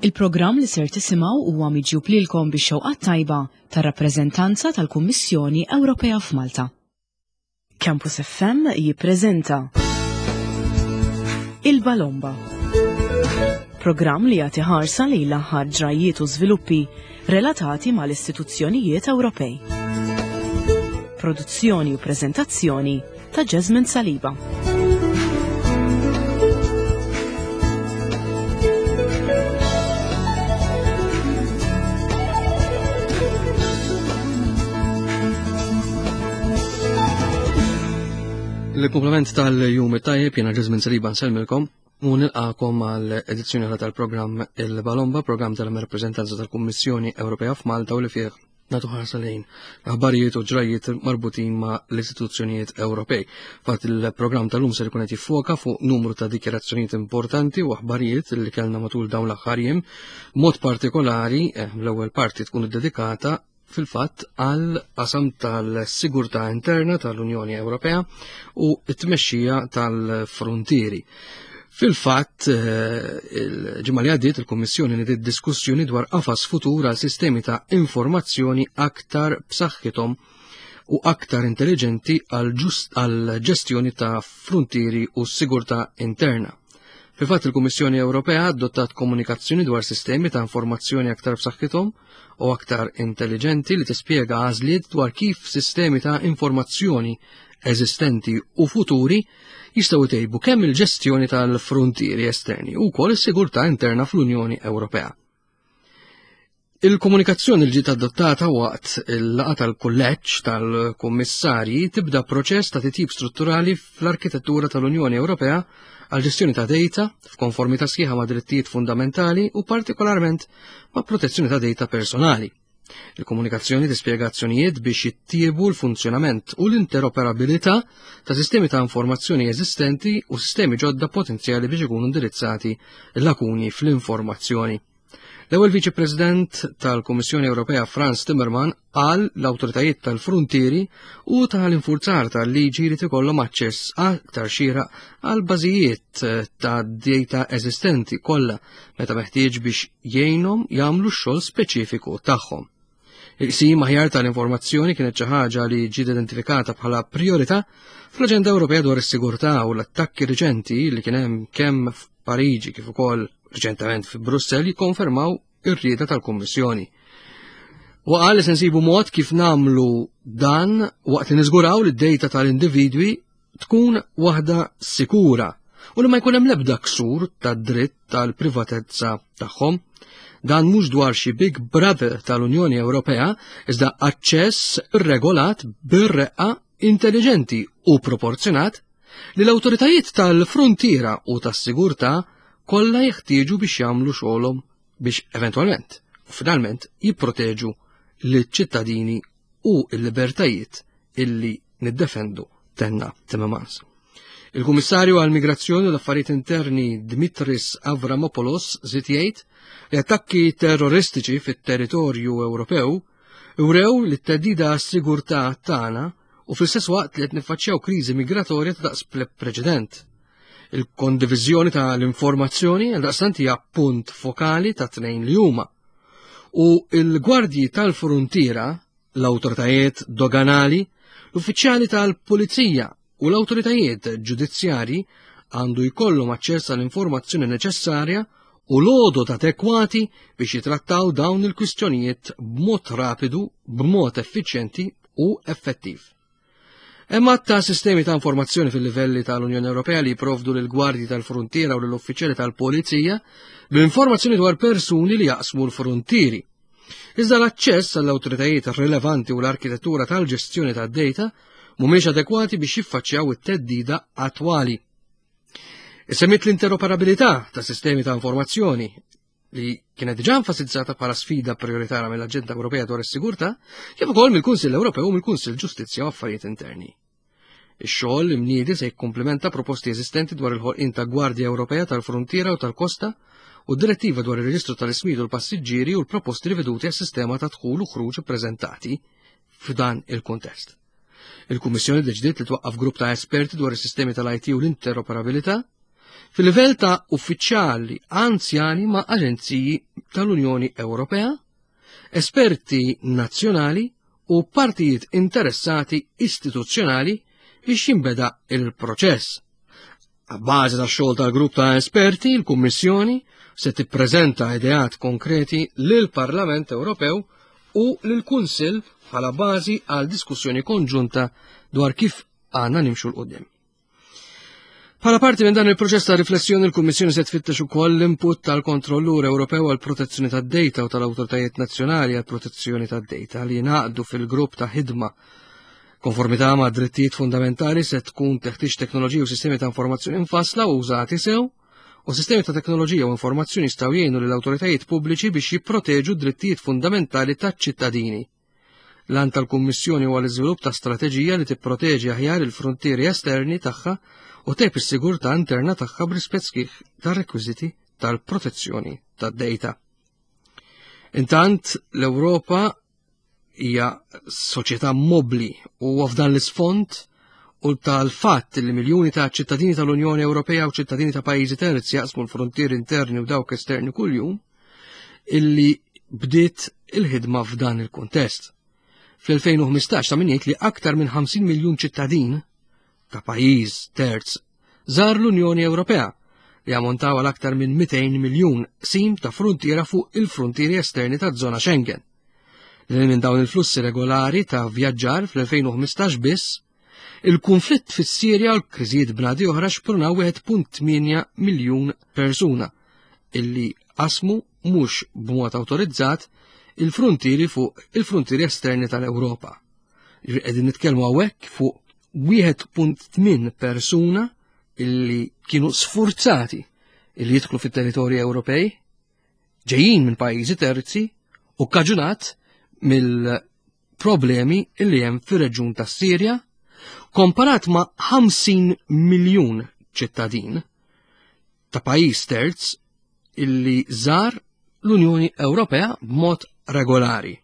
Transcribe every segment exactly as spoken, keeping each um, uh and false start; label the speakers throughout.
Speaker 1: Il-programm li ser tisimgħu huwa miġjub lilkom bix-xewqa tajba tar-rappreżentanza tal-Kummissjoni Ewropea f'Malta. Campus F M jippreżenta Il-Balomba. Programm li jagħti ħarsa lejn l-aħħar ġrajiet u żviluppi relatati mal-istituzzjonijiet Ewropej. Produzzjoni u preżentazzjoni ta' Jasmine Saliba.
Speaker 2: Il-komplement tal-jum tajjeb, jena Ġizmin Saliba nsellmilkom u nilqakom għal edizzjoni oħra tal-programm Il-Balomba, programm tal-rappreżentanza tal-Kummissjoni Ewropea f'Malta u li fih nagħtu ħarsa lejn aħbarijiet u ġrajiet marbutin ma' l-istituzzjonijiet Ewropej. Fatt il-programm tal-lum ser ikun qed jiffoka fuq numru ta' dikjarazzjonijiet importanti u aħbarijiet li kellna matul dawn l-aħħar jiem. Mod partikolari, eh, l-ewwel parti tkun iddedikata fil-fatt għal qasam tal-sigurtà interna tal-Unjoni Ewropea u t-tmexxija tal-frontieri. Fil-fatt, eh, il-ġimgħa li għaddiet il-Kummissjoni nediet diskussjoni dwar qafas futur għal sistemi ta' informazzjoni aktar b'saħħithom u aktar intelligenti għal ġestjoni ta' frontieri u sigurtà interna. Fil-fatt, il-Kummissjoni Ewropea adottat komunikazzjoni dwar sistemi ta' informazzjoni aktar b'saħħithom u aktar intelligenti li tispjega għażliet dwar kif sistemi ta' informazzjoni eżistenti u futuri jistgħu jtejbu kemm il-ġestjoni tal-frontieri esterni u wkoll is-sigurtà interna fl-Unjoni Ewropea. Il-komunikazzjoni li ġiet adottata waqt il-laqgħa tal-kulleġġ tal-kummissarji tibda proċess ta' titjib strutturali fl-arkitettura tal-Unjoni Ewropea għal ġestjoni ta' data f'konformità sħiħa ma' drittijiet fundamentali u partikolarment ma' protezzjoni ta' data personali. Il-komunikazzjoni tispjega azzjonijiet biex jittiebu l-funzjonament u l-interoperabilità ta' sistemi ta' informazzjoni eżistenti u sistemi ġodda potenzjali biex ikunu indirizzati lakuni fl-informazzjoni. L-ewwel Viċi President tal-Kummissjoni Ewropea Frans Timmermans qal l-awtoritajiet tal-frontieri u tal-infurzar tal-liġi li tikollhom aċċess aktar xieraq għal bażijiet ta' data eżistenti kollha meta meħtieġ biex jgħinhom jagħmlu x-xogħol speċifiku tagħhom. Il-qsim aħjar tal-informazzjoni kienet xi ħaġa li ġiet identifikata bħala priorità fl-Aġenda Ewropea dwar is-sigurtà u l-attakki riċenti li kien hemm kemm f'Pariġi kif ukoll riċentement fi Brussell jikkonfermaw ir-rieda tal-Kummissjoni. U qal li se nsibu mod kif nagħmlu dan waqt li niżguraw li d-data tal-individwi tkun waħda sikura u li ma jkun hemm l-ebda ksur tad-dritt tal-privatezza tagħhom. Dan mhux dwar xi Big Brother tal-Unjoni Ewropea, iżda aċċess regolat bir-reqqa, intelligenti u proporzjonat li l-awtoritajiet tal-frontiera u tas-sigurtà kollha jeħtieġu biex jagħmlu xogħolhom biex eventwalment u finalment jipproteġu liċ-ċittadini u l-libertajiet illi niddefendu, tenna Timmermans. Il-Kummissarju għall-Migrazzjoni u l-Affarijiet Interni Dimitris Avramopoulos żied jgħid li attakki terroristiċi fit-territorju Ewropew wrew li t-theddida għas-sigurtà tagħna u fl-istess waqt li qed niffaċċjaw kriżi migratorja ta' daqs preċedent. Il-kondiviżjoni tal-informazzjoni għaldaqstant hija punt fokali ta' tnejn li huma. U il-gwardji tal-frontiera, l-awtoritajiet doganali, l-uffiċjali tal-pulizija u l-awtoritajiet ġudizzjarji għandu jkollhom aċċess għall-informazzjoni neċessarja u l-għodod adekwati biex jitrattaw dawn il-kwistjonijiet b'mod rapidu, b'mod effiċjenti u effettiv. Hemm ta' sistemi ta' informazzjoni fil-livelli tal-Unjoni Ewropea li jipprovdu lil gwardji tal-frontiera u lill-uffiċjali tal-pulizija b'informazzjoni dwar persuni li jaqsmu l-frontieri. Iżda l-aċċess għall-awtoritajiet rilevanti u l-arkitettura tal-ġestjoni tad-data mhumiex adekwati biex jiffaċċjaw it-theddida attwali. Issemmiet l-interoperabilità ta' sistemi ta' informazzjoni li kienet diġà enfasizzata bħala sfida prioritarja mill-Aġenda Ewropea dwar is-Sigurtà, kif ukoll mill-Kunsill Ewropew u mill-Kunsill Ġustizzja u Affarijiet Interni. Ix-xogħol imniedi se jikkumplementa proposti eżistenti dwar il-ħolqien ta' Gwardja Ewropea tal-Frontiera u tal-Kosta u d-direttiva dwar ir-reġistru tal-ismijiet u l-passiġġieri u l-proposti riveduti għas-sistema ta' dħul u ħruġ ippreżentati f'dan il-kuntest. Il-Kummissjoni deċidiet li twaqqaf grupp ta' esperti dwar is-sistemi tal-I T u l-interoperabilità. fil-livell ta' uffiċjali anzjani ma' aġenziji tal-Unjoni Ewropea, esperti nazzjonali u partijiet interessati istituzzjonali biex jinbeda il-proċess. Abbażi tax-xogħol tal-grupp ta' esperti, il-Kummissjoni se tippreżenta ideat konkreti lill-Parlament Ewropew u lill-Kunsill bħala bażi għal diskussjoni konġunta dwar kif għandna nimxu 'l quddiem. Bħala parti minn dan il-proċess ta' riflessjoni, il-Kummissjoni se tfittex ukoll l-input tal-Kontrollur Ewropew għal protezzjoni tad-data u tal-awtoritajiet nazzjonali għal protezzjoni tad-data li jingħaqdu fil-grupp ta' ħidma. Konformità ma' drittijiet fundamentali se tkun teħtieġ teknoloġiji u sistemi ta' informazzjoni mfassla u użati sew, u sistemi ta' teknoloġija u informazzjoni jistgħu jgħinu lill-awtoritajiet pubbliċi biex jipproteġu d-drittijiet fundamentali taċ-ċittadini. L-għan tal-Kummissjoni huwa l-iżvilupp ta' strateġija li tipproteġi aħjar il-frontieri esterni tagħha u ttejjeb is-sigurtà interna tagħha b'rispett sħiħ tar-rekwiżiti tal-protezzjoni tad-data. Intant, l-Ewropa hija soċjetà mobbli u f'dan l-isfond u tal-fatt li miljuni ta' ċittadini tal-Unjoni Ewropea u ċittadini ta' pajjiżi terzi jaqsmu l-frontieri interni u dawk esterni kuljum, illi bdiet il-ħidma f'dan il-kuntest. Fl-elfejn u ħmistax ta' min jgħid li aktar minn ħamsin miljun ċittadin ta' pajjiż terz żar l-Unjoni Ewropea, li ammontaw għal aktar minn mitejn miljun sim ta' frontiera fuq il-frontieri esterni ta' żona Schengen. Li minn dawn il-flussi regolari ta' vjaġġar fl-elfejn u ħmistax biss, il-konflitt fis-Sirja u l-kriżijiet bnadi oħra xprunaw wieħed punt tmienja miljun persuna illi qasmu mhux b'mod awtorizzat il-frontieri fuq il-frontieri esterni tal-Ewropa. Qegħdin nitkellmu hawnhekk fuq wieħed punt tmien persuna illi kienu sfurzati illi jidħlu fit-territorji Ewropej, ġejjin minn pajjiżi terzi u kkaġunat mill-problemi illi hemm fir-reġjun tas-Sirja, komparat ma' ħamsin miljun ċittadin ta' pajjiż terz illi żar l-Unjoni Ewropea b'mod regolari.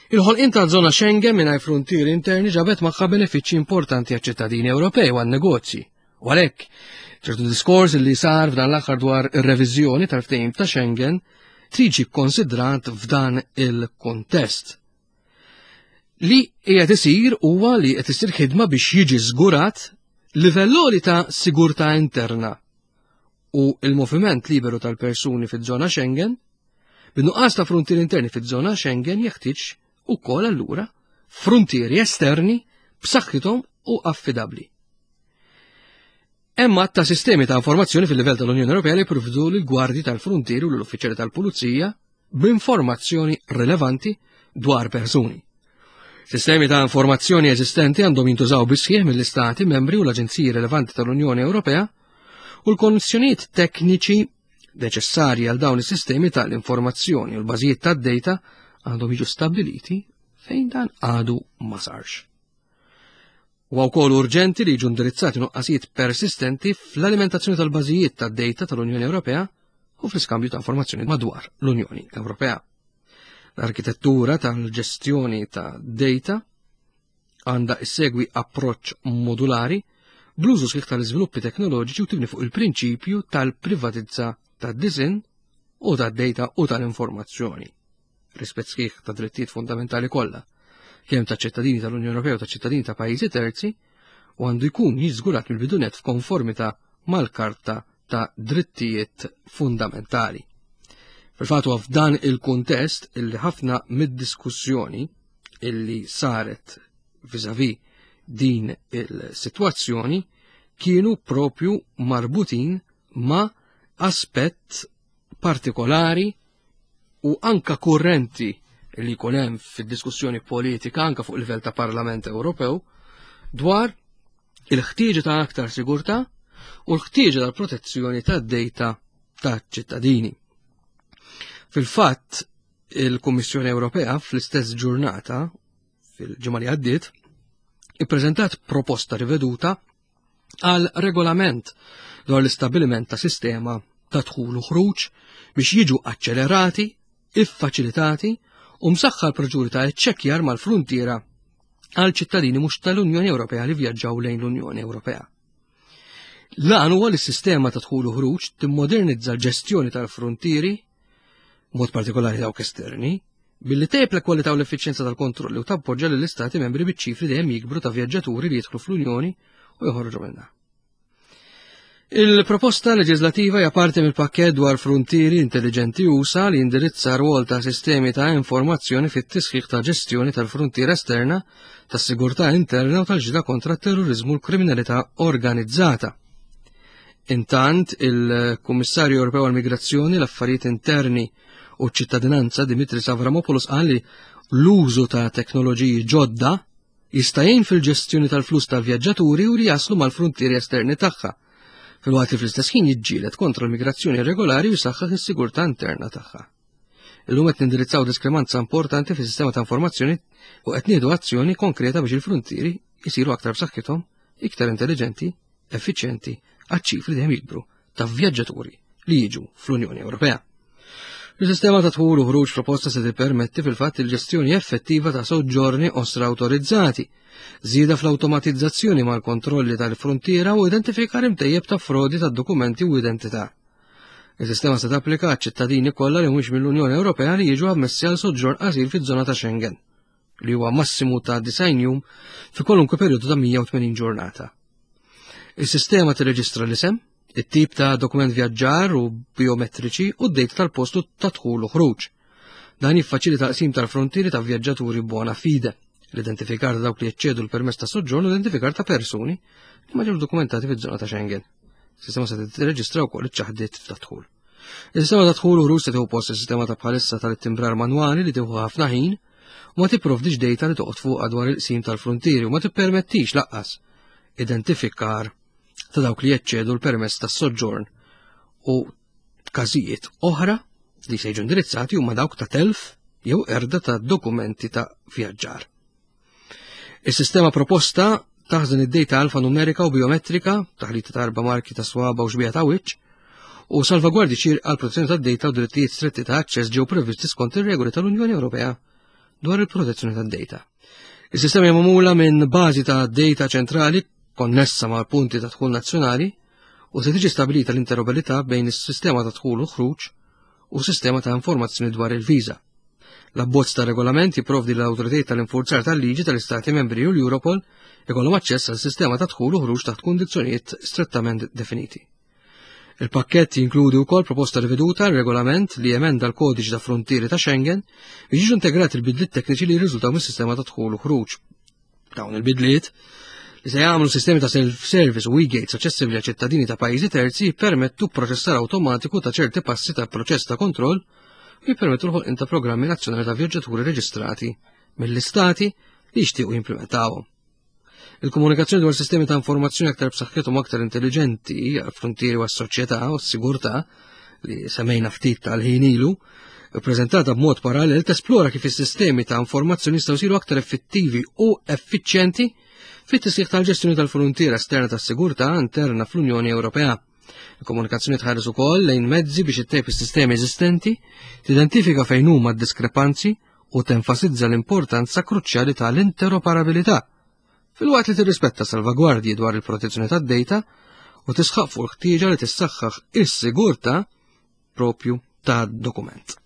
Speaker 2: Il-ħolqien ta' żona Schengen mingħajr frontieri interni ġabet magħha benefiċċji importanti għaċ-ċittadini Ewropej u għan-negozji. U għalhekk, ċertu diskors li sar f'dan l-aħħar dwar ir-reviżjoni tal-ftehim ta' Schengen tiġi kkonsidrat f'dan il-kontest. Li qiegħed isir huwa li qed isir ħidma biex jiġi żgurat livell għoli ta' sigurtà interna u il-moviment liberu tal-persuni fiż-żona Schengen, bin-nuqqas ta' frontieri interni fiż-żona Schengen jeħtieġ ukoll allura frontieri esterni b'saħħithom u affidabbli. Hemm għadd ta' sistemi ta' informazzjoni fil-livell tal-Unjoni Ewropea li jipprovdu lill-gwardji tal-frontieri u lill-uffiċjali tal-pulizija b'informazzjoni rilevanti dwar persuni. Sistemi ta' informazzjoni eżistenti għandhom jintużaw bisħieħ mill-istati membri u l-aġenziji rilevanti tal-Unjoni Ewropea u l-konnessjonijiet tekniċi neċessarji għal dawn is-sistemi tal-informazzjoni u l-bażijiet tad-data għandhom jiġu stabbiliti fejn dan għadu ma sarx. Huwa wkoll urġenti li jiġu indirizzati nuqqasijiet persistenti fl-alimentazzjoni tal-bażijiet tad-data tal-Unjoni Ewropea u fl-iskambju ta' informazzjoni madwar l-Unjoni Ewropea. L-arkitettura tal-ġestjoni ta' data għandha issegwi approċċ modulari bl-użu sħiħ tal-iżviluppi teknoloġiċi u tibni fuq il-prinċipju tal-privatizza tad-disinn u tad-data u tal-informazzjoni. Rispett sħiħ ta' drittijiet fundamentali kollha, kemm ta' ċittadini tal-Unjoni Ewropea u ta' ċittadini ta' pajjiżi terzi, u għandu jkun jiżgurat mill-bidunet f'konformità mal-Karta ta' Drittijiet Fundamentali. Fil-fatt huwa f'dan il-kuntest illi ħafna mid-diskussjoni illi saret vis-à-vis din il-sitwazzjoni kienu propju marbutin ma' aspett partikolari u anka kurrenti li jkun hemm fid-diskussjoni politika anka fuq livell ta' Parlament Ewropew dwar il-ħtieġa ta' aktar sigurtà u l-ħtieġa tal-protezzjoni tad-data taċ-ċittadini. Fil-fatt, il-Kummissjoni Ewropea fl-istess ġurnata, fil-ġimgħa li għaddiet, ippreżentat proposta riveduta għal regolament dwar l-istabbiliment ta' sistema ta' dħul u ħruġ biex jiġu aċċelerati, iffaċilitati u msaħħa l-proċeduri ta' iċċekkjar mal-fruntiera għal ċittadini mhux tal-Unjoni Ewropea li vjaġġaw lejn l-Unjoni Ewropea. L-għan huwa li s-sistema ta' dħul u ħruġ timmodernizza l-ġestjoni tal-frontieri, mod partikolari dawk esterni, billi tejjeb l-kwalità u l-effiċjenza tal-kontrolli u tappoġġa lill-istati membri biċ-ċifri dejjem jikbru ta' vjaġġaturi li jidħlu fl-Unjoni u joħorġu minnha. Il-proposta leġislativa hija parti mill-pakkett dwar fruntieri intelligenti usa li jindirizza rwol ta' sistemi ta' informazzjoni fit-tisħiħ ta' ġestjoni tal-fruntiera esterna, tas-sigurtà interna u tal-ġida kontra t-terrorizmu u l-kriminalità organizzata. Intant, il-Kummissarju Ewropew għall-Migrazzjoni, l-Affarijiet Interni u ċ-Ċittadinanza Dimitris Avramopoulos qal li l-użu ta' teknoloġiji ġodda jista' jgħin fil-ġestjoni tal-flus tal-vjaġġaturi u li jaslu mal-fruntieri esterni tagħha, filwaqt li fl-istess ħin jiġġieled kontra l-migrazzjoni irregolari u jsaħħaħ is-sigurtà interna tagħha. Illum qed nindirizzaw diskrepanza importanti fis-sistema ta' informazzjoni u qed nieħdu azzjoni konkreta biex il-fruntieri jsiru aktar b'saħħithom, iktar intelligenti, effiċjenti għaċ-ċifri dejjem jikbru ta' vjaġġaturi li jiġu fl-Unjoni Ewropea. Il-sistema ta' dħul u ħruġ proposta se tippermetti fil-fatt il-ġestjoni effettiva ta' soġġorni osra awtorizzati, żieda fl-awtomatizzazzjoni mal-kontrolli tal-frontiera u identifikar imtejjeb ta' frodi ta' dokumenti u identità. Il-sistema se tapplika għaċ-ċittadini kollha li mhux mill-Unjoni Ewropea li jiġu ammessi għal soġġorn qasir fiż-żona ta' Schengen, li huwa massimu ta' disgħin jum fi kwalunkwe perjodu ta' mija u tmenin ġurnata. Il-sistema tirreġistra l-isem, it-tip ta' dokument vjaġġar u biometriċi u d-dejta tal-postu ta' dħul u ħruġ. Dan jiffaċilita qsim tal-frontieri ta' vjaġġaturi bona fide, l-identifikar ta' dawk li jeċċedu l-permess ta' soġġorn u l-identifikar ta' persuni li ma ġewx dokumentati fiż-żona ta' Schengen. Is-sistema se tirreġistra wkoll iċ-ċaħdiet ta' dħul. Is-sistema ta' dħul u ħruġ se tieħu post is-sistema ta' bħalissa tal-ittimbrar manwali li tieħu ħafna ħin u ma tipprovdix dejta li toqgħod fuqha dwar il-qsim tal-frontieri u ma tippermettix laqqas identifikar ta' dawk li jeċċedu l-permess tas-soġġorn u każijiet oħra li se jiġu indirizzati huma dawk ta' telf jew erda ta' dokumenti ta' vjaġġar. Is-sistema proposta taħżen id-dejta alfanumerika u biometrika, taħlita ta' erba' marki ta' swaba u xbieha ta' wiċċ, u salvagwardji xierqa għal protezzjoni tad-dejta u drittijiet stretti ta' aċċess ġew previsti skont ir-regoli tal-Unjoni Ewropea dwar il-protezzjoni tad-dejta. Is-sistema hija magħmula minn bażi ta' dejta ċentrali konnessa mal-punti ta' dħul nazzjonali u se tiġi stabilita l-interoperabilità bejn is-sistema ta' dħul u ħruġ u sistema ta' informazzjoni dwar il-viża. L-abbozz ta' regolament jipprovdi l-awtoritajiet tal-infurzar tal-liġi tal-Istati Membri u l-Europol ikollhom aċċess għal sistema ta' dħul u ħruġ taħt kundizzjonijiet strettament definiti. Il-pakkett jinkludi wkoll proposta riveduta regolament li jemenda l-kodiċi ta' frontieri ta' Schengen biex jiġu integrati l-bidliet tekniċi li jirriżultaw mis-sistema ta' dħul u ħruġ. Dawn il-bidliet li se jagħmlu sistemi ta' self-service u e-gates aċċessibbli għal ċittadini ta' pajjiżi terzi jippermettu proċessar awtomatiku ta' ċerti passi ta' proċess ta' kontroll u jippermettu l-ħolqien ta' programmi nazzjonali ta' vjaġġaturi reġistrati mill-istati li jixtiequ jimplementawhom. Il-komunikazzjoni dwar sistemi ta' informazzjoni aktar b'saħħithom u aktar intelligenti għall-frontieri u għas-soċjetà u s-sigurtà li semmejna ftit tal-ħin ilu, ippreżentata b'mod parallel tesplora kif is-sistemi ta' informazzjoni jistgħu jsiru aktar effettivi u effiċjenti fit-tisħiħ tal-ġestjoni tal-frontiera esterna tas-sigurtà interna fl-Unjoni Ewropea. Il-komunikazzjoni tħares ukoll lejn mezzi biex ittejjeb is-sistemi eżistenti, tidentifika fejn huma d-diskrepanzi u tenfasizza l-importanza kruċjali tal-interoperabilità, filwaqt li tirrispetta salvagwardji dwar il-protezzjoni tad-dejta u tisħaq fuq il-ħtieġa li tissaħħaħ is-sigurtà propju tad-dokument.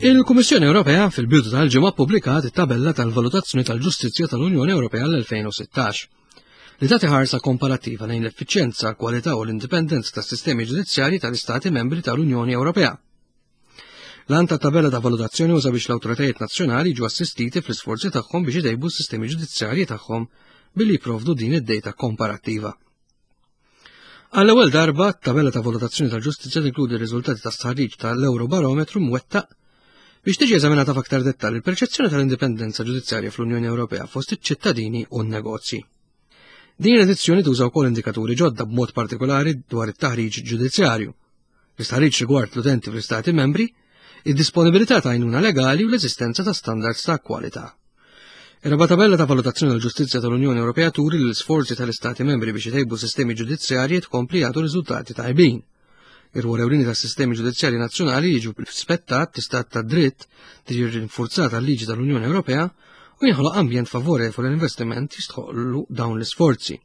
Speaker 2: Il-Kummissjoni Ewropea fil-bidu tal-ġimgħa ppubblikat it-tabella tal-valutazzjoni tal-ġustizzja tal-Unjoni Ewropea l-elfejn u sittax, li tagħti ħarsa komparattiva lejn l-effiċjenza, l-kwalità u l-indipendenza tas-sistemi ġudizzjarji tal-Istati membri tal-Unjoni Ewropea. L-għan tat-tabella ta' valutazzjoni uża biex l-awtoritajiet nazzjonali jiġu assistiti fl-isforzi tagħhom biex itejbu s-sistemi ġudizzjarji tagħhom billi jipprovdu din id-dejta komparattiva. Għall-ewwel darba, t-tabella ta' valutazzjoni tal-ġustizzja tinkludi r-riżultati tas-stħarriġ tal-Eurobarometru mwettaq biex tiġi eżaminata f'aktar dettall il-perċezzjoni tal-indipendenza ġudizzjarja fl-Unjoni Ewropea fost iċ-ċittadini u n-negozji. Din l-edizzjoni tuża wkoll indikaturi ġodda b'mod partikolari dwar it-taħriġ ġudizzjarju, l-istħarriġ rigward l-utenti fl-Istati membri, id-disponibilità ta' għajnuna legali u l-eżistenza ta' standards ta' kwalità. Ir-raba' tabella ta' valutazzjoni tal-ġustizzja tal-Unjoni Ewropea turi li l-isforzi tal-Istati membri biex itejbu sistemi ġudizzjarji tkompli jagħtu riżultati tajbin. Ir-rwol ewlieni tas-sistemi ġudizzjarji nazzjonali jiġu rispettat l-istat ta' dritt, tiġi rinforzata l-liġi tal-Unjoni Ewropea u jinħoloq ambjent favorevoli l-investiment jistħoqlu dawn l-isforzi.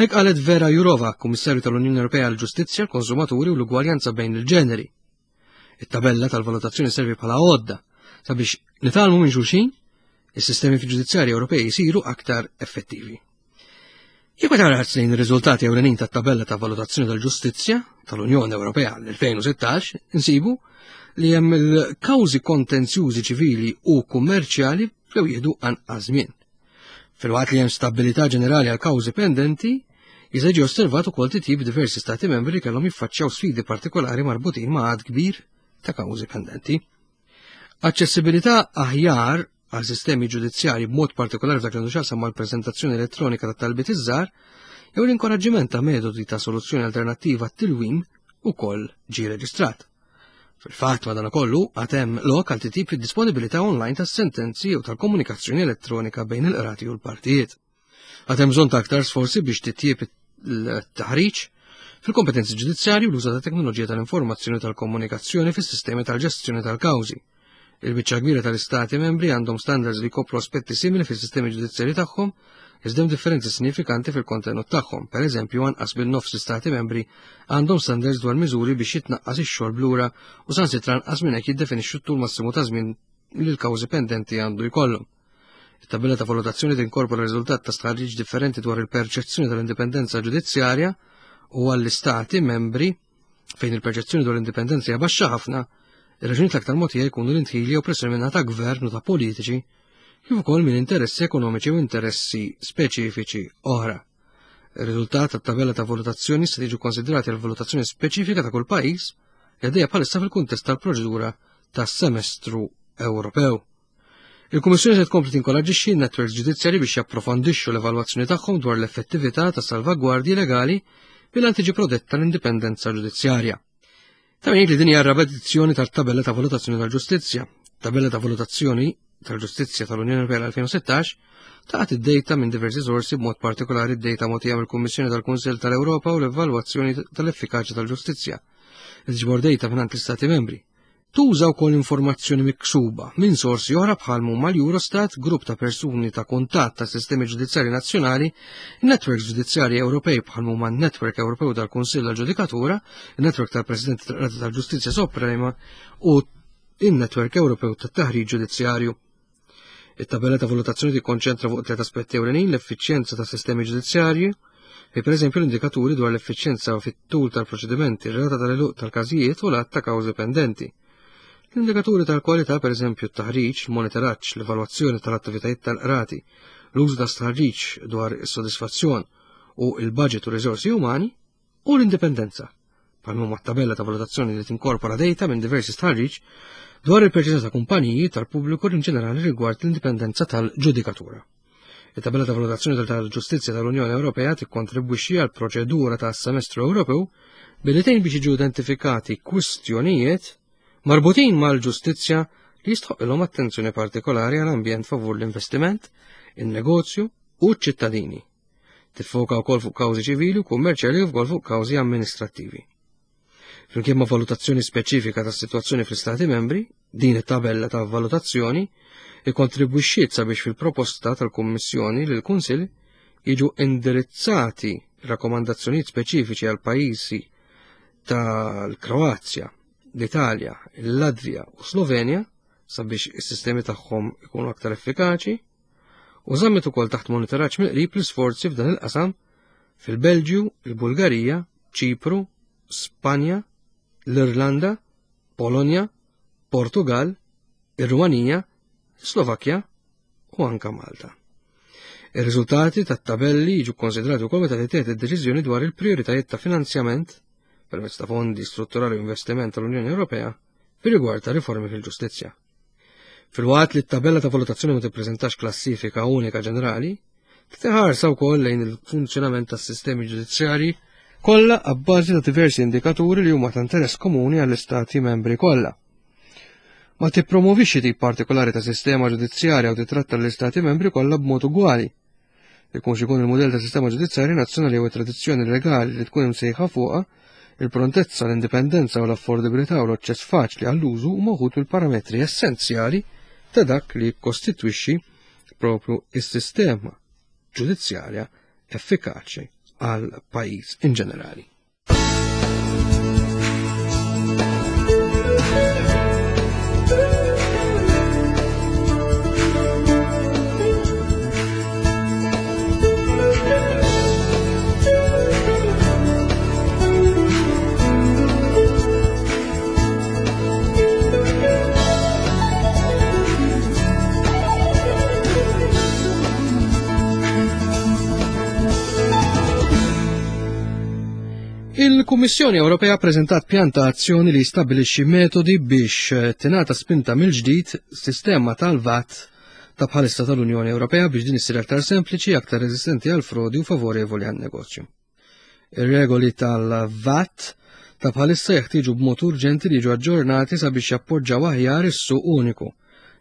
Speaker 2: Hekk qalet Vera Jourova, Kummissarju tal-Unjoni Ewropea għall-Ġustizzja, l-Konsumaturi u l-Ugwaljanza bejn il-ġeneri. It-tabella tal-valutazzjoni servi bħala għodda sabiex nitgħallmu minn xulxin is-sistemi ġudizzjarji Ewropej jisiru aktar effettivi. Jekk ma tara lejn ir-riżultati ewlenin tat-tabella ta' valutazzjoni tal-ġustizzja tal-Unjoni Ewropea l-elfejn u sittax, insibu li hemm il-kawżi kontenzjużi ċivili u kummerċjali bdew jieħdu anqas żmien. Filwaqt li hemm stabilità ġenerali għal kawżi pendenti, jista' jiġi osservat ukoll titjib diversi stati membri li kellhom jiffaċċjaw sfidi partikolari marbutin ma' għadd kbir ta' kawżi pendenti. Aċċessibilità aħjar għal sistemi ġudizzjarji b'mod partikolari f'dak li għandu x'jaqsam mal-preżentazzjoni elettronika ta' talbiet iż-żgħar jew l-inkoraġġiment ta' metodi ta' soluzzjoni alternattiva għat-tilwim ukoll ġie reġistrat. Fil-fatt, madankollu, għad hemm lok għal titjib fid-disponibilità online tas-sentenzi jew tal-komunikazzjoni elettronika bejn il-qrati u l-partijiet. Għad hemm bżonn ta' aktar sforzi biex titjib il-taħriġ fil-kompetenzi ġudizzjarji u l-użu ta' teknoloġija tal-informazzjoni u tal-komunikazzjoni fis-sistemi tal-ġestjoni tal-kawżi. Il-biċċa kbira tal-istati membri għandhom standards li jkopru aspetti simili fis-sistemi ġudizzjarji tagħhom, iżda hemm differenzi sinifikanti fil-kontenut tagħhom. Per eżempju, anqas bin-nofs l-istati membri għandhom standards dwar miżuri biex jitnaqqas ix-xogħol blura u saħansitra anqas minn hekk jiddefinixxu t-tul massimu ta' żmien li l-kawżi pendenti għandu jkollhom. It-tabella ta' valutazzjoni tinkorpora riżultat ta' stħarriġ differenti dwar il-perċezzjoni tal-indipendenza ġudizzjarja u għall-istati membri fejn il-perċezzjoni dwar l-indipendenza hija baxxa ħafna, ir-raġunijiet l-aktar mogħtija jkunu l-indħil jew pressjoni minn ta' gvern u ta' politiċi, kif ukoll minn interessi ekonomiċi u interessi speċifiċi oħra. Ir-riżultat tat-tabella ta' valutazzjoni se jiġu konsidrati għal valutazzjoni speċifika ta' kull pajjiż li għaddejja bħalissa fil-kuntest tal-proċedura tas-semestru Ewropew. Il-Kummissjoni se tkompli tinkoraġġixxi n-netwerks ġudizzjarji biex japprofondixxu l-evalwazzjoni tagħhom dwar l-effettività ta' salvagwardji legali bil-għan tiġi protetta l-indipendenza ġudizzjarja. Ta' min jgħid li din hija r-raba' edizzjoni tat-tabella ta' valutazzjoni tal-ġustizzja. Tabella ta' valutazzjoni tal-ġustizzja tal-Unjoni Ewropea l-elfejn u sittax tagħti d-dejta minn diversi sorsi, b'mod partikolari d-dejta mogħtija mill-Kummissjoni tal-Kunsill tal-Ewropa u l-evalwazzjoni tal-effikaċja tal-ġustizzja, li tiġbor dejta mingħand l-Istati membri. Tuża wkoll informazzjoni miksuba minn sorsi oħra bħal huma l-Eurostat, grupp ta' persuni ta' kuntatt ta' sistemi ġudizzjarji nazzjonali, netwerks ġudizzjarji Ewropej bħal huma n-Netwerk Ewropew tal-Kunsill tal-Ġudikatura, il-Netwerk tal-Presidenti tal-Qrati tal-Ġustizzja Suprema u il-Netwerk Ewropew tat-Taħriġ Ġudizzjarju. It-tabella ta' valutazzjoni tikkonċentra fuq tliet aspetti ewlenin: l-effiċjenza ta' sistemi ġudizzjarji, fi pereżempju l-indikaturi dwar l-effiċjenza fit-tul tal-proċedimenti, ir-rata tal-għeluq tal-każijiet u l-għadd ta' kawżi pendenti. L-indikaturi tal-kwalità, pereżempju t-taħriġ, il-monitoraġġ, l-evalwazzjoni tal-attivitajiet tal-qrati, l-użu ta' stħarriġ dwar is-sodisfazzjon u il-budget u riżorsi umani, u l-indipendenza, bħal huma tabella ta' valutazzjoni li tinkorpora data minn diversi stħarriġ dwar il-perċezzjoni ta' kumpaniji tal-pubbliku in ġenerali rigward l-indipendenza tal-ġudikatura. Il-tabella ta' valutazzjoni tal-ġustizzja tal-Unjoni Ewropea tikkontribwixxi għal proċedura ta' semestru Ewropew billi tgħin biex jiġu identifikati kwistjonijiet marbutin mal-ġustizzja li jistħoqilhom attenzjoni partikolari għal ambjent favur l-investiment, in-negozju u ċ-ċittadini. Tiffoka wkoll fuq kawżi ċivili u kummerċjali u wkoll fuq kawżi amministrattivi. Flimkien ma' valutazzjoni speċifika tas-sitwazzjoni fl-Istati membri, din it-tabella ta' valutazzjoni ikkontribwixxiet sabiex fil-proposta tal-Kummissjoni lil Kunsill jiġu indirizzati rakkomandazzjonijiet speċifiċi għal pajjiżi tal-Kroazja, l-Italja, il-Latvja u Slovenja sabiex is-sistemi tagħhom ikunu aktar effikaċi, u żammet ukoll taħt monitoraġġ mill-qrib l-isforzi f'dan il-qasam fil-Belġju, il-Bulgarija, Ċipru, Spanja, l-Irlanda, Polonja, Portugal, ir-Rumanija, Slovakkja u anka Malta. Ir-riżultati tat-tabelli jiġu kkonsidrati wkoll meta tittieħed id-deċiżjoni dwar il-prijoritajiet ta' finanzjament permezz ta' fondi strutturali u investiment tal-Unjoni Ewropea fir-rigward ta' riformi fil-ġustizzja. Filwaqt li t-tabella ta' valutazzjoni ma tippreżentax klassifika unika ġenerali, Tħarsa wkoll lejn il-funzjonament tas-sistemi ġudizzjarji kollha abbażi ta' diversi indikaturi li huma ta' interess komuni għall-istati membri kollha. Ma tippromovix xi tip partikolari ta' sistema ġudizzjarja u titratta l-istati membri kollha b'mod ugwali. Ikun x'ikun il-mudell ta' sistema ġudizzjarja nazzjonali jew tradizzjoni legali li tkun imsejħa fuqha, il-prontezza, l-indipendenza u l-affordibilità u l-aċċess faċli għall-użu huma wħud mill-parametri essenzjali ta' dak li jikkostitwixxi propju is-sistema ġudizzjarja effikaċi għal pajjiż in ġenerali. Il-Kummissjoni Ewropea preżentat pjan ta' azzjoni li jistabbilixxi metodi biex tingħata spinta mill-ġdid sistema tal-V A T ta' bħalissa tal-Unjoni Ewropea biex din issir aktar sempliċi, aktar reżistenti għal frodi u favorevoli għan-negozju. Ir-regoli tal-V A T ta' bħalissa jeħtieġu b'mod urġenti li jiġu aġġornati sabiex jappoġġaw aħjar is-suq uniku,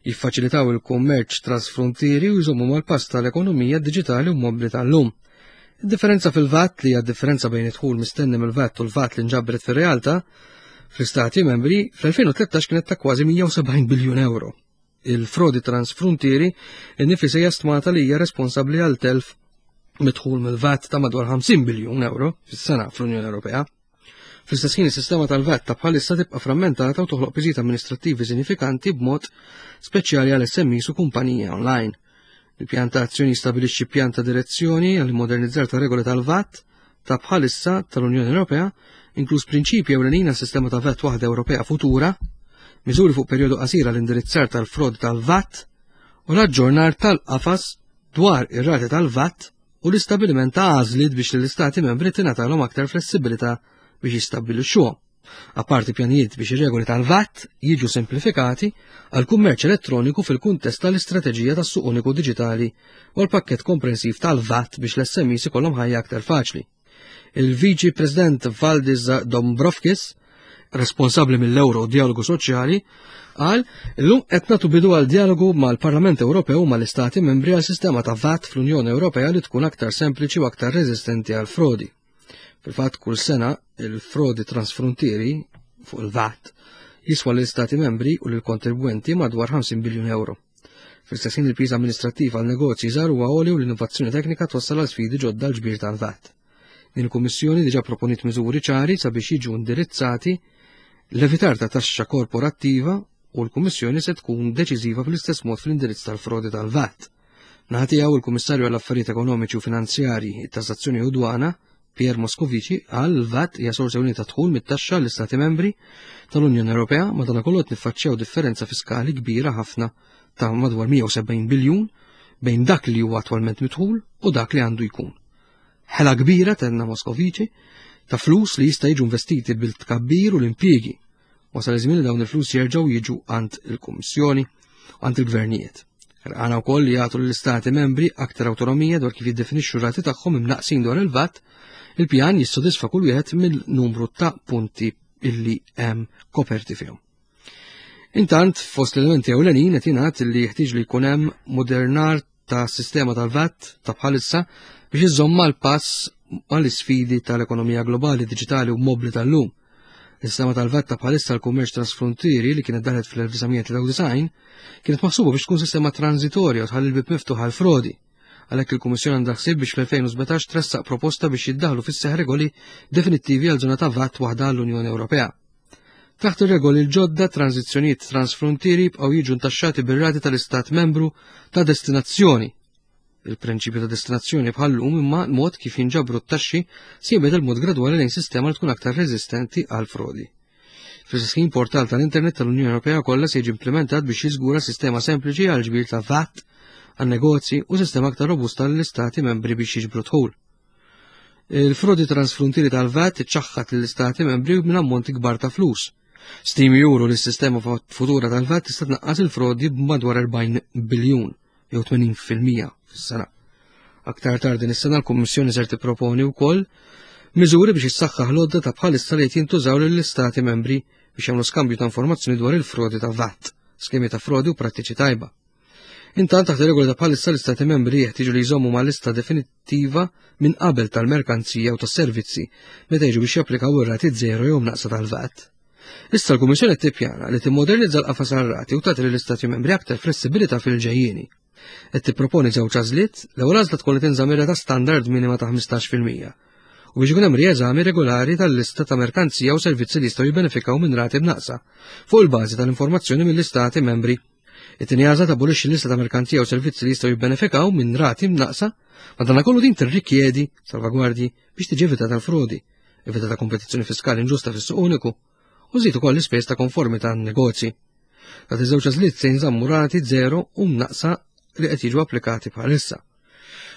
Speaker 2: jiffaċilitaw il-kummerċ trasfrontieri u jżommu mal-pass tal-ekonomija diġitali u mobbli tal-lum. Id-differenza fil-V A T, li hija differenza bejn id-dħul mistenni mill-V A T u l-V A T li nġabret fir-realtà fl-istati membri, fl-elfejn u tlettax kienet ta' kważi mija u sebgħin biljun euro. Il-frodi transfrontieri innifisha hija stmata li hija responsabbli għal telf midħul mill-V A T ta' madwar ħamsin biljun euro fis-sena fl-Unjoni Ewropea. Fl-istess ħin, is-sistema tal-V A T ta' bħalissa tibqa' frammentata u toħloq piżijiet amministrattivi sinifikanti, b'mod speċjali għal S M Es u kumpaniji online. Il-pjan ta' azzjoni jistabilixxi pjan ta' direzzjoni għal modernizzar ta' regoli tal-V A T ta' bħalissa tal-Unjoni Ewropea, inkluż prinċipji ewlenin għas sistema ta' V A T waħda Ewropea futura, miżuri fuq perjodu qasir għall indirizzar tal-frod tal-V A T u l-aġġornar tal-qafas dwar ir-rati tal-V A T u l-istabbiliment ta' għażliet biex l-istati membri tingħatalhom aktar flessibilità biex jistabbilixxuhom. Apparti pjanijiet biex ir-regoli tal-V A T jiġu simplifikati għal kummerċ elettroniku fil-kuntest tal-istrateġija tas-suq uniku diġitali u l-pakket komprensiv tal-V A T biex l-S M Es ikollhom ħajja aktar faċli. Il-Viċi President Valdis Dombrovskis, responsabbli mill-Euro u dialogu soċjali, qal: "Illum qed nagħtu bidu għal dialogu mal-Parlament Ewropew u mal-Istati membri għal sistema ta' V A T fl-Unjoni Ewropea li tkun aktar sempliċi u aktar reżistenti għal frodi." Fil-fatt, kull sena il-frodi transfrontieri fuq il-V A T jiswa l-Istati membri u l-kontribwenti madwar ħamsin biljun euro. Fl-istess ħin, il-piż amministrattiv għal negozji żgħar huwa għoli u l-innovazzjoni teknika twassal għal sfidi ġodda l-ġbir tal-V A T. Din il-Kummissjoni diġà proponiet miżuri ċari sabiex jiġu indirizzati l-evitar ta' taxxa korporattiva u l-Kummissjoni se tkun deċiżiva fl-istess mod fl-indirizz tal-frodi tal-V A T. Min-naħa tiegħu, il-Kummissarju għall-Affarijiet Ekonomiċi u Finanzjarji, Tassazzjoni u Dwana, Pierre Moscovici, qal: "Il-V A T hija sorsa ta' dħul mit-taxxa l-Istati membri tal-Unjoni Ewropea, madankollu qed niffaċċjaw differenza fiskali kbira ħafna ta' madwar mija u sebgħin biljun bejn dak li huwa attwalment midħul u dak li għandu jkun. Ħela kbira," tenna Moscovici, "ta' flus li jista' jiġu investiti bil-tkabbir u l-impjiegi. Wasal iż-żmien li dawn il-flus jerġgħu jiġu għand il-Kummissjoni u għand il-gvernijiet. Għana wkoll li jagħtu l-istati membri aktar awtonomija dwar kif jiddefinixxu rati tagħhom imnaqsin dwar il-V A T. Il-pjan jissodisfa kull wieħed mill-numru ta' punti illi hemm koperti fihom." Intant, fost l-elementi ewlenin qed jingħad li jeħtieġ li jkun hemm modernar ta' sistema tal-V A T ta' bħalissa biex iżomm mal-pass mal-isfidi tal-ekonomija globali, diġitali u mobli tal-lum. Il-sistema tal-V A T ta' bħalissa l-kummerċ trasfrontieri, li kienet daħlet fl-elf disa' mija tlieta u disgħin, kienet maħsuba biex tkun sistema transitorja u tħalli l-bib miftuħ għal frodi. Għalhekk il-Kummissjoni għandha ħsieb biex fl-elfejn u sbatax tressaq proposta biex jiddaħlu fis-seħ regoli definittivi għal żona ta' V A T waħda għall-Unjoni Ewropea. Taħt ir-regoli l-ġodda, tranzizzjonijiet transfrontieri jibqgħu jiġu ntaxxati bir-rati tal-Istat membru ta' destinazzjoni. Il-prinċipju ta' destinazzjoni bħallum, imma l-mod kif jinġabru t-taxxi se jinbidel mod gradwali lejn sistema li tkun aktar reżistenti għal frodi. Fl-istess ħin, portal tal-Internet tal-Unjoni Ewropea kollha se jiġi implementat biex jiżgura sistema sempliċi għal ġbir ta' V A T għan negozji u sistema aktar robusta l-istati membri biex jiġbru dħul. Il-frodi transfrontieri tal-V A T iċċaħħat lill-istati membri minn ammonti kbar ta' flus. Stimi juru li s-sistema futura tal-V A T tista' tnaqqas il-frodi b'madwar erbgħin biljun jew tmenin fil-mija fis-sena. Aktar tard din is-sena l-Kummissjoni ser tipproponi wkoll miżuri biex issaħħaħ l-għodda ta' bħalissa li qed jintużaw lill-istati membri biex jagħmlu skambju ta' informazzjoni dwar il-frodi ta' V A T, skemi ta' frodi u prattiċi tajba. Intant, taħt ir-regola ta' bħalissa, l-istati membri jeħtieġu li jżommu ma' lista definittiva minn qabel tal-merkanzija u tas-servizzi meta jiġu biex japplikaw ir-rati zero jew mnaqqsa tal-V A T. Issa l-Kummissjoni tippjana li timmodernizza l-qafas rati u tagħti lill-istati membri aktar flessibilità fil-ġejjieni. Qed tipproponi żewġ għażliet: l-ewwel għażla tkun li tinżamm rata standard minima ta' ħmistax fil-mija u biex ikun hemm rieżami regolari tal-lista ta' merkanzija u servizzi li jistgħu jibbenefikaw minn rati mnaqqsa fuq il-bażi tal-informazzjoni mill-istati membri. It-tieni għażla tabolixxi l-lista ta' merkanzija u servizzi li jistgħu jibbenefikaw minn rati mnaqqsa, madankollu din tirrikjedi salvagwardji biex tiġi evitata l-frodi, evitata kompetizzjoni fiskali inġusta fis-suq uniku u żżid ukoll l-ispejjeż ta' konformità għan-negozji. Taħt iż-żewġ għażliet se jinżammu rati zero u mnaqqsa li qed jiġu applikati bħalissa.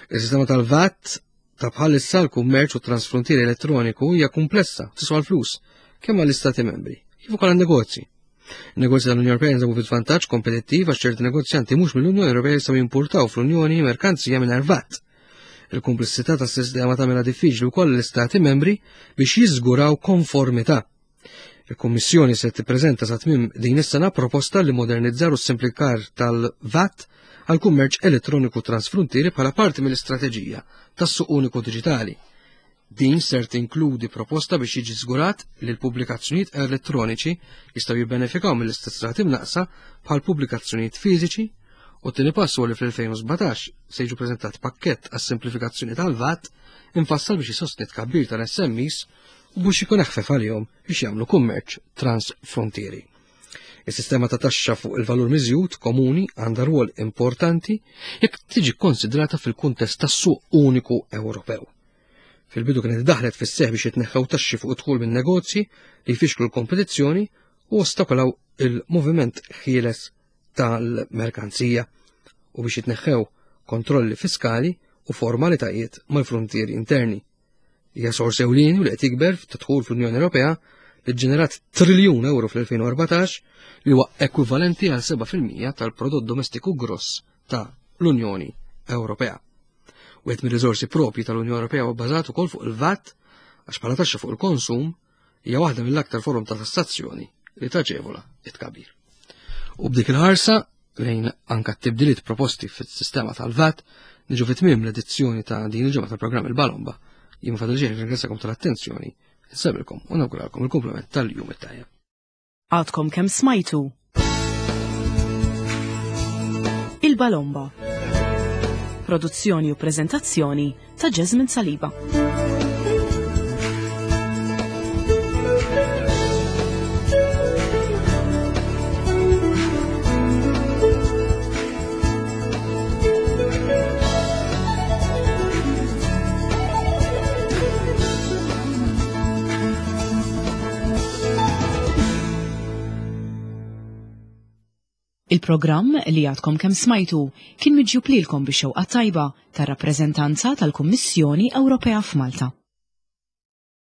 Speaker 2: Il-sistema tal-V A T ta' bħalissa l-kummerċ u transfrontieri elettroniku hija komplessa, tiswa l-flus, kemm għall-istati membri, kif ukoll għan-negozji. Negozji tal-Unjoni Ewropea jinsabu fi żvantaġġ kompetittiv għax ċerti negozjanti mhux mill-Unjoni Ewropea jistgħu jimportaw fl-Unjoni merkanzija mingħajr V A T. Il-komplessità tas-sistema tagħmilha diffiċli wkoll l-istati membri biex jiżguraw konformità. Il-Kummissjoni se tippreżenta sa tmiem din is-sena proposta li modernizzar u simplifikar tal-V A T għal kummerċ elettroniku transfrontieri bħala parti mill-istrateġija tas-suq uniku diġitali. Din ser tinkludi proposta biex jiġi żgurat li l-pubblikazzjonijiet elettroniċi jistgħu jibbenefikaw mill-istess rati mnaqqsa bħal pubblikazzjonijiet fiżiċi, u t-tieni pass huwa li fl-elfejn u sbatax se jiġu preżentat pakkett għas-simplifikazzjoni tal-V A T infassal biex jisostni tkabbir tal-S M Es u biex ikun eħfef għalihom biex jagħmlu kummerċ transfrontieri. Is-sistema ta' taxxa fuq il-valur miżjud komuni għandha rwol importanti jekk tiġi konsidrata fil-kuntest tas-suq uniku Ewropew. Fil-bidu kienet daħlet fis-seħ biex jitneħħew taxxi fuq id-dħul minn negozji li jfixklu l-kompetizzjoni u ostakolaw il-moviment ħieles tal-merkanzija u biex jitneħħew kontrolli fiskali u formalitajiet mal-frontieri interni. Hija sors ewlieni u li qed jikber ta' dħul fl-Unjoni Ewropea, li ġenerat triljun euro fl-elfejn u erbatax, li huwa ekwivalenti għal seba' fil-mija tal-prodott domestiku gross ta' l-Unjoni Ewropea. Wieħed mir-riżorsi propji tal-Unjoni Ewropea huwa bbażat ukoll fuq il-V A T, għax bħala taxxa fuq il-konsum hija waħda mill-aktar forom ta' tassazzjoni li taġevola it-tkabbir. U b'dik il-ħarsa lejn anka t-tibdiliet proposti fis-sistema tal-V A T niġu fit-tmiem l-edizzjoni ta' din il-ġimgħa tal-programm Il-Balomba. Jien fadal ġej ringrazzjakom tal-attenzjoni, nsellmilkom u nawguralkom il-kumplament tal-jum it-tajjeb.
Speaker 1: Għadkom kemm smajtu Il-Balomba. Produzzjoni u prezentazzjoni ta' Jasmine Saliba. Il-programm li għadkom kemm smajtu kien miġjub lilkom bix-xewqa tajba tar-rappreżentanza tal-Kummissjoni Ewropea f'Malta.